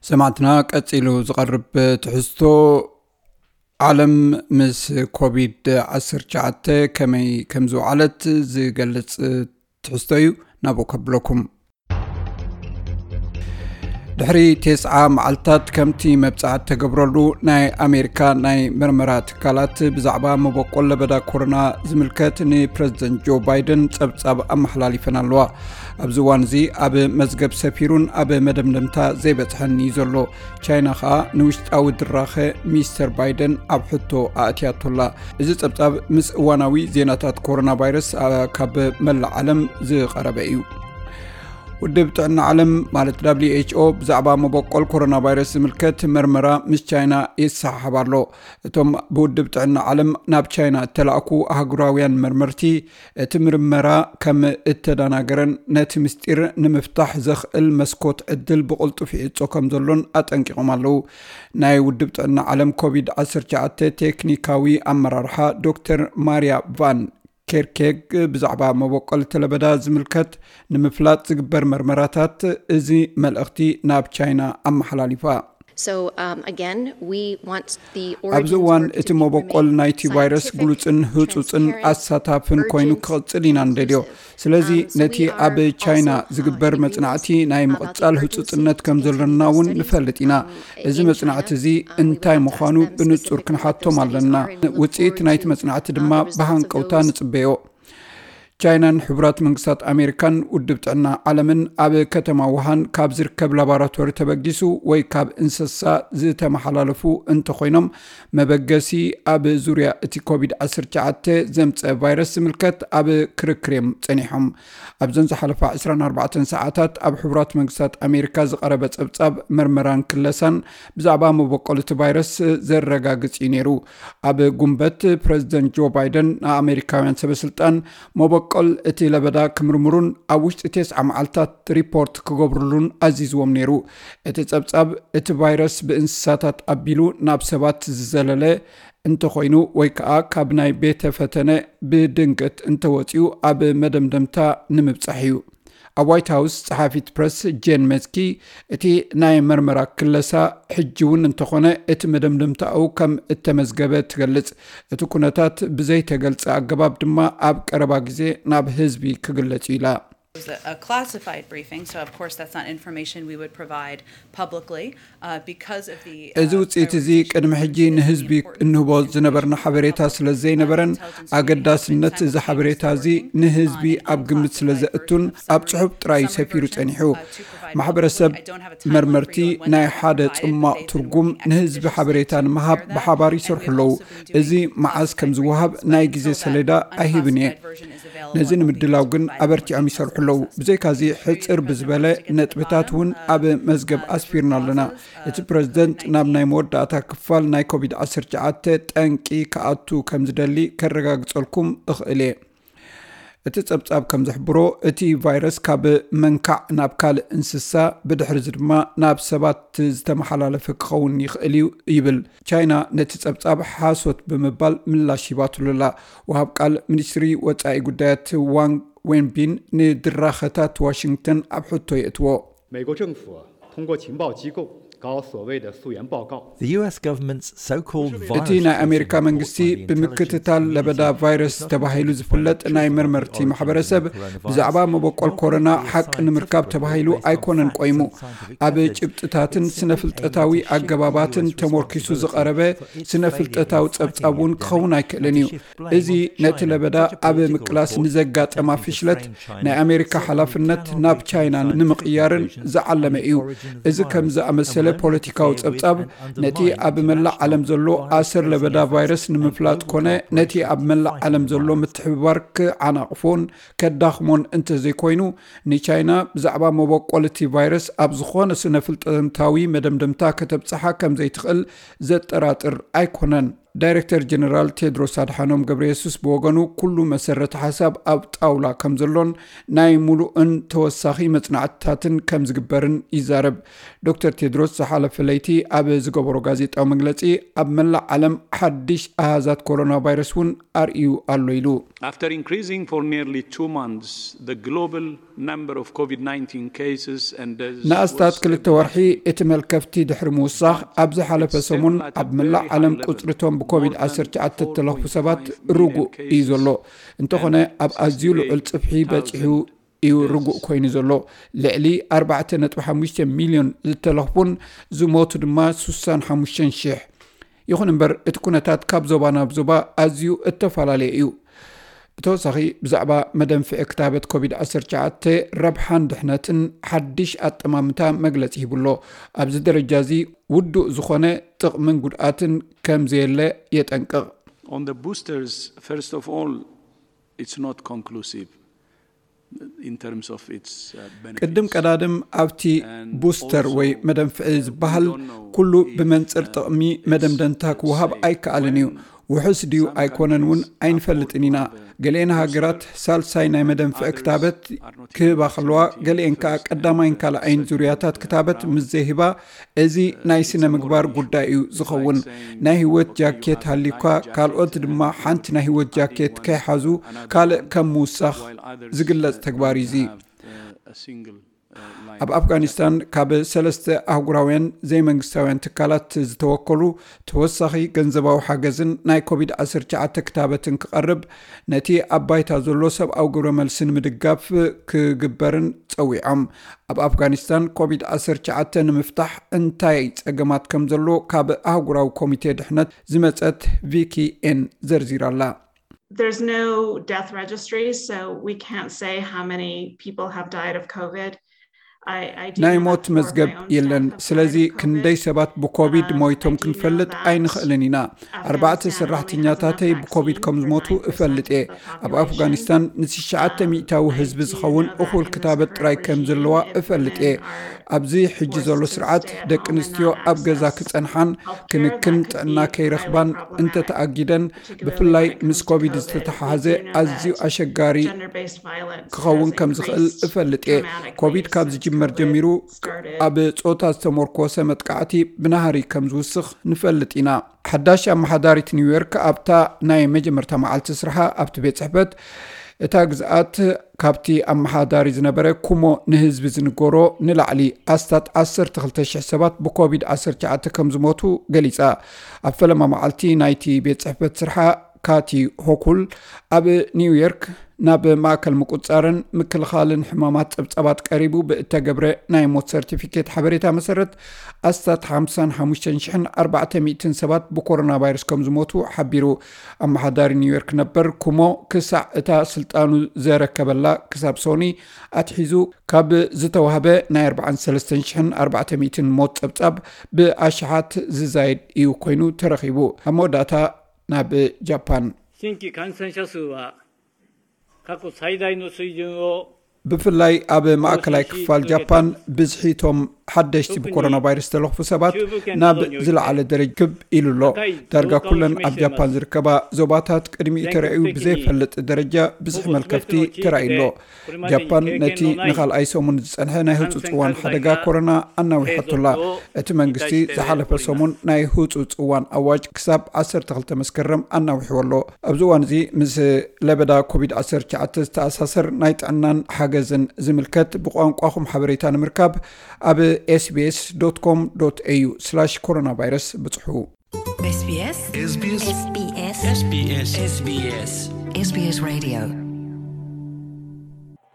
ሰማዕትና፣ ቀጺሉ ዝቐርብ ትሕዝቶ፣ ዓለም ምስ ኮቪድ ዓሰርተ ትሽዓተ ከመይ ከም ዝወዓለት ዝገልጽ ትሕዝቶ እዩ። ናብኡ ከብለኩም። ድሕሪ ተስዓ መዓልታት ከምቲ መብጻዕቲ ተገብረሉ ናይ ኣሜሪካ ናይ መርመራ ትካላት ብዛዕባ መበቆል ለበዳ ኮሮና ዝምልከት ንፕረዚደንት ጆ ባይደን ጸብጻብ ኣመሓላሊፈን ኣለዋ። ኣብዚ እዋን እዚ ኣብ መዝገብ ሰፊሩን ኣብ መደምደምታ ዘይበጽሐን እዩ ዘሎ። ቻይና ኸኣ ንውሽጣዊ ድራኸ ሚስተር ባይደን ኣብ ሕቶ ኣእትያቶላ። እዚ ጸብጻብ ምስ እዋናዊ ዜናታት ኮሮና ቫይረስ፣ ኣ፣ ካብ መላእ ዓለም ዝቐረበ እዩ። ውድብ ጥዕና ዓለም ማለት ደብሊው ኤች ኦ ብዛዕባ መበቆል ኮሮና ቫይረስ ዝምልከት መርመራ ምስ ቻይና ይሰሓሓብ ኣሎ። እቶም ብውድብ ጥዕና ዓለም ናብ ቻይና እተላእኩ ኣህጉራውያን መርመርቲ፣ እቲ ምርመራ ከም እተደናገረን ነቲ ምስጢር ንምፍታሕ ዘኽእል መስኮት ዕድል ብቕልጡፍ ይዕጾ ከም ዘሎን ኣጠንቂቖም ኣለዉ። ናይ ውድብ ጥዕና ዓለም ኮቪድ ዓሰርተ ትሽዓተ ቴክኒካዊ ኣመራርሓ ዶክተር ማርያ ቫን ኬርኬግ ብዛዕባ መበቆል ለበዳ ዝምልከት ንምፍላጥ ዝግበር መርመራታት፣ እዚ መልእኽቲ ናብ ቻይና ኣመሓላሊፋ። So, um, again, we want the ኣብዚ origins እዋን፣ or እቲ መበቆል ናይቲ ቫይረስ ግሉጽን ህጹጽን ኣሳታፍን ኮይኑ ክቕጽል ኢና እንደልዮ። ስለዚ፣ ነቲ ኣብ ቻይና ዝግበር መጽናዕቲ ናይ ምቕጻል ህጹጽነት ከም ዘሎና እውን ንፈልጥ ኢና። እዚ መጽናዕቲ እዚ እንታይ ምዃኑ ብንጹር ክንሓቶም ኣለና። ውጽኢት ናይቲ መጽናዕቲ ድማ ብሃንቀውታ ንጽበዮ። ቻይናን ሕቡራት መንግስታት ኣሜሪካን ውድብ ጥዕና ዓለምን ኣብ ከተማ ውሃን ካብ ዝርከብ ላቦራቶሪ ተበጊሱ ወይ ካብ እንስሳ ዝተመሓላለፉ እንተኾይኖም፣ መበገሲ ኣብ ዙርያ እቲ ኮቪድ ዓሰርተ ትሽዓተ ዘምጸ ቫይረስ ዝምልከት ኣብ ክርክር እዮም ጸኒሖም። ኣብዘን ዝሓለፋ ዕስራን ኣርባዕተን ሰዓታት ኣብ ሕቡራት መንግስታት ኣሜሪካ ዝቐረበ ጸብጻብ መርመራን ክለሳን ብዛዕባ መበቆል እቲ ቫይረስ ዘረጋግጽ እዩ ነይሩ። ኣብ ጉንበት፣ ፕረዚደንት ጆ ባይደን ንኣሜሪካውያን ሰበስልጣን መበቆል እቲ ለበዳ ክምርምሩን ኣብ ውሽጢ ተስዓ መዓልታት ሪፖርት ክገብሩሉን ኣዚዝዎም ነይሩ። እቲ ጸብጻብ፣ እቲ ቫይረስ ብእንስሳታት ኣቢሉ ናብ ሰባት ዝዘለለ እንተኾይኑ ወይ ከኣ ካብ ናይ ቤተ ፈተነ ብድንገት እንተወጺኡ ኣብ መደምደምታ ንምብጻሕ እዩ። ኣብ ዋይት ሃውስ ጸሓፊት ፕረስ ጄን መስኪ፣ እቲ ናይ መርመራ ክለሳ ሕጂ እውን እንተኾነ እቲ መደምደምታኡ ከም እተመዝገበ ትገልጽ። እቲ ኩነታት ብዘይተገልጸ ኣገባብ ድማ ኣብ ቀረባ ግዜ ናብ ህዝቢ ክግለጽ እዩ ኢላ። It was a classified briefing, so of course that's not information we would provide publicly, uh, because of the, uh, እዚ ውጽኢት እዚ ቅድሚ ሕጂ ንህዝቢ እንህቦ ዝነበርና ሓበሬታ ስለ ዘይነበረን፣ ኣገዳስነት እዚ ሓበሬታ እዚ ንህዝቢ ኣብ ግምት ስለ ዘእቱን ኣብ ጽሑፍ ጥራይ ሰፊሩ ጸኒሑ። ማሕበረሰብ መርመርቲ ናይ ሓደ ጽማቕ ትርጉም ንህዝቢ ሓበሬታ ንምሃብ ብሓባር ይሰርሑ ኣለዉ። እዚ መዓስ ከም ዝወሃብ ናይ ግዜ ሰሌዳ ኣይህብን እየ። ነዚ ንምድላው ግን ኣበርቲዖም ይሰርሑ ኣለዉ። ብዘይካዚ፣ ሕጽር ብዝበለ ነጥብታት እውን ኣብ መዝገብ ኣስፊርና ኣለና። እቲ ፕረዚደንት ናብ ናይ መወዳእታ ክፋል ናይ ኮቪድ ዓሰርተ ትሽዓተ ጠንቂ ክኣቱ ከም ዝደሊ ከረጋግጸልኩም እኽእል እየ። እቲ ጸብጻብ ከም ዝሕብሮ፣ እቲ ቫይረስ ካብ መንካዕ ናብ ካልእ እንስሳ፣ ብድሕሪዚ ድማ ናብ ሰባት ዝተመሓላለፈ ክኸውን ይኽእል እዩ ይብል። ቻይና ነቲ ጸብጻብ ሓሶት ብምባል ምላሽ ሂባትሉ ኣላ። ወሃብ ቃል ሚኒስትሪ ወጻኢ ጉዳያት ዋንግ ዌንቢን ንድራኸታት ዋሽንግተን ኣብ ሕቶ የእትዎ። 美国政府通过情报机构搞所谓的溯源报告。 The U S government's so-called እቲ ናይ ኣሜሪካ መንግስቲ ብምክትታል ለበዳ ቫይረስ ተባሂሉ ዝፍለጥ ናይ መርመርቲ ማሕበረሰብ ብዛዕባ መበቆል ኮሮና ሓቂ ንምርካብ ተባሂሉ ኣይኮነን ቆይሙ። ኣብ ጭብጥታትን ስነ ፍልጠታዊ ኣገባባትን ተሞርኪሱ ዝቐረበ ስነ ፍልጠታዊ ጸብጻብ እውን ክኸውን ኣይክእልን እዩ። እዚ ነቲ ለበዳ ኣብ ምቅላስ ንዘጋጠማ ፍሽለት ናይ ኣሜሪካ ሓላፍነት ናብ ቻይና ንምቕያርን ዝዓለመ እዩ። እዚ ከም ዝኣመሰለ ፖለቲካዊ ጸብጻብ ነቲ ኣብ መላእ ዓለም ዘሎ ኣሰር ለበዳ ቫይረስ ንምፍላጥ ኮነ ነቲ ኣብ መላእ ዓለም ዘሎ ምትሕብባር ክዓናቕፎን ከዳኽሞን እንተዘይኮይኑ፣ ንቻይና ብዛዕባ መበቆል እቲ ቫይረስ ኣብ ዝኾነ ስነ ፍልጠታዊ መደምደምታ ከተብጽሓ ከም ዘይትኽእል ዘጠራጥር ኣይኮነን። ዳይሬክተር ጀነራል ቴድሮስ ኣድሓኖም ገብረየሱስ ብወገኑ፣ ኩሉ መሰረተ ሓሳብ ኣብ ጣውላ ከም ዘሎን ናይ ሙሉእን ተወሳኺ መጽናዕትታትን ከም ዝግበርን ይዛረብ። ዶክተር ቴድሮስ ዝሓለፈ ለይቲ ኣብ ዝገበሮ ጋዜጣዊ መግለጺ፣ ኣብ መላእ ዓለም ሓድሽ ኣሃዛት ኮሮና ቫይረስ እውን ኣርእዩ ኣሎ ኢሉ። After increasing for nearly two months, the global number of COVID nineteen cases and deaths ንኣስታት was ክልተ ወርሒ እቲ መልከፍቲ ድሕሪ ምውሳኽ፣ ኣብ ዝሓለፈ ሰሙን ኣብ መላእ ዓለም ቁጽሪቶም ብኮቪድ ዓሰርተ ትሽዓተ እተለኽፉ ሰባት ርጉእ እዩ ዘሎ። እንተኾነ፣ ኣብ ኣዝዩ ልዑል ጽፍሒ በጺሑ እዩ ርጉእ ኮይኑ ዘሎ። ልዕሊ ኣርባዕተ ነጥቢ ሓሙሽተ ሚልዮን ዝተለኽፉን ዝሞቱ ድማ ስሳን ሓሙሽተን ሽሕ። ይኹን እምበር፣ እቲ ኩነታት ካብ ዞባ ናብ ዞባ ኣዝዩ እተፈላለየ እዩ። ብተወሳኺ፣ ብዛዕባ መደንፍዒ ክታበት ኮቪድ ዓሰርተ ትሽዓተ ረብሓን ድሕነትን ሓድሽ ኣጠማምታ መግለጺ ሂቡ ኣሎ። ኣብዚ ደረጃ እዚ ውዱእ ዝኾነ ጥቕምን ጉድኣትን ከም ዘየለ የጠንቅቕ። On the boosters, first of all, it's not conclusive in terms of its uh, benefits. ቅድም ቀዳድም፣ ኣብቲ And ቡስተር also, ወይ መደንፍዒ ዝበሃል we don't know ኩሉ if, ብመንጽር uh, ጥቕሚ it's መደምደምታ ክወሃብ safe ኣይከኣልን እዩ። when ውሑስ ድዩ some ኣይኮነን እውን countries ኣይንፈልጥን ኢና። afford to have a ገሊአን booster. ሃገራት ሳልሳይ ናይ መደንፍዒ Others ክታበት are not ክህባ yet ከለዋ፣ presenting ገሊአን ከዓ first and ቀዳማይን ካልኣይን second ዙርያታት uh, ክታበት round. ምስ ዘይህባ፣ እዚ ናይ ስነ ምግባር ጉዳይ እዩ ዝኸውን። ናይ ህይወት ጃኬት ሃሊኳ፣ ካልኦት ድማ ሓንቲ ናይ ህይወት ጃኬት ከይሓዙ፣ ካልእ ከም ምውሳኽ ዝግለጽ ተግባር እዩ እዚ። ኣብ ኣፍጋኒስታን ካብ ሰለስተ ኣህጉራውያን ዘይመንግስታውያን ትካላት ዝተወከሉ ተወሳኺ ገንዘባዊ ሓገዝን ናይ ኮቪድ ዓሰርተ ትሽዓተ ክታበትን ክቐርብ፣ ነቲ ኣብ ባይታ ዘሎ ሰብኣዊ ግብረ መልሲ ንምድጋፍ ክግበርን ጸዊዖም። ኣብ ኣፍጋኒስታን ኮቪድ ዓሰርተ ትሽዓተ ንምፍታሕ እንታይ ጸገማት ከም ዘሎ ካብ ኣህጉራዊ ኮሚቴ ድሕነት ዝመጸት ቪኪ ኤን ዘርዚራላ። There's no death registry, so we can't say how many people have died of COVID. I, I do ናይ know ሞት that for መዝገብ my own የለን። staff have ስለዚ died of ክንደይ COVID. ሰባት ብኮቪድ Um, ሞይቶም I do know ክንፈልጥ that Afghanistan only has ሰራሕተኛታተይ enough ብኮቪድ vaccine ከም for ዝሞቱ nine percent እፈልጥ እየ። of the ኣብ population. ኣፍጋኒስታን ንትሽዓተ ሚእታዊ ህዝቢ ዝኸውን እኹል ክታበት ጥራይ ከም ዘለዋ እፈልጥ እየ። ኣብዚ ሕጂ ዘሎ ስርዓት ደቂ ኣንስትዮ ኣብ ገዛ ክጸንሓን ክንክን ጥዕና ከይረኽባን እንተተኣጊደን፣ ብፍላይ ምስ ኮቪድ ዝተተሓሓዘ ኣዝዩ ኣሸጋሪ ክኸውን ከም ዝኽእል እፈልጥ እየ። ኮቪድ ካብ ዝጅመር ጀሚሩ ኣብ ጾታ ዝተመርኮሰ መጥቃዕቲ ብናህሪ ከም ዝውስኽ ንፈልጥ ኢና። ሓዳሽ ኣመሓዳሪት ኒውዮርክ ኣብታ ናይ መጀመርታ መዓልቲ ስርሓ ኣብቲ ቤት ጽሕፈት እታ ግዝኣት ካብቲ ኣመሓዳሪ ዝነበረ ኩሞ ንህዝቢ ዝንገሮ ንላዕሊ ኣስታት ዓሰርተ ክልተ ሽሕ ሰባት ብኮቪድ ዓሰርተ ትሽዓተ ከም ዝሞቱ ገሊጻ። ኣብ ፈለማ መዓልቲ ናይቲ ቤት ጽሕፈት ስርሓ ካቲ ሆኩል ኣብ ኒውዮርክ ናብ ማእከል ምቁጻርን ምክልኻልን ሕማማት ጸብጻባት ቀሪቡ ብእተገብረ ናይ ሞት ሰርቲፊኬት ሓበሬታ መሰረት ኣስታት ሓምሳን ሓሙሽተን ሽሕን ኣርባዕተ ሚእትን ሰባት ብኮሮና ቫይረስ ከም ዝሞቱ ሓቢሩ። ኣመሓዳሪ ኒውዮርክ ነበር ኩሞ ክሳዕ እታ ስልጣኑ ዘረከበላ ክሳብ ሶኒ ኣትሒዙ ካብ ዝተዋህበ ናይ ኣርባዓን ሰለስተን ሽሕን ኣርባዕተ ሚእትን ሞት ጸብጻብ ብኣሽሓት ዝዛየድ እዩ ኮይኑ ተረኺቡ። ኣብ መወዳእታ ናብ ጃፓን። 新規感染者数は過去最大の水準を ብፍላይ ኣብ ማእከላይ ክፋል ጃፓን ብዝሒ እቶም ሓደሽቲ ብኮሮና ቫይረስ ዝተለኽፉ ሰባት ናብ ዝለዓለ ደረጃ ክብ ኢሉ ኣሎ። ዳርጋ ኩለን ኣብ ጃፓን ዝርከባ ዞባታት ቅድሚኡ ተራእዩ ብዘይፈልጥ ደረጃ ብዝሒ መልከፍቲ ተራእዩ ኣሎ። ጃፓን ነቲ ንኻልኣይ ሰሙን ዝጸንሐ ናይ ህጹጽ እዋን ሓደጋ ኮሮና ኣናዊሓቶ ኣላ። እቲ መንግስቲ ዝሓለፈ ሰሙን ናይ ህጹጽ እዋን ኣዋጅ ክሳብ ዓሰርተ ክልተ መስከረም ኣናዊሕዎ ኣሎ። ኣብዚ እዋን እዚ ምስ ለበዳ ኮቪድ ዓሰርተ ትሽዓተ ዝተኣሳሰር ናይ ጥዕናን ሓገዝን ዝምልከት ብቋንቋኹም ሓበሬታ ንምርካብ ኣብ ኤስቢኤስ ዶት ኮም ዶት ኤዩ ስላሽ ኮሮና ቫይረስ ብጽሑ። SBS SBS SBS SBS SBS Radio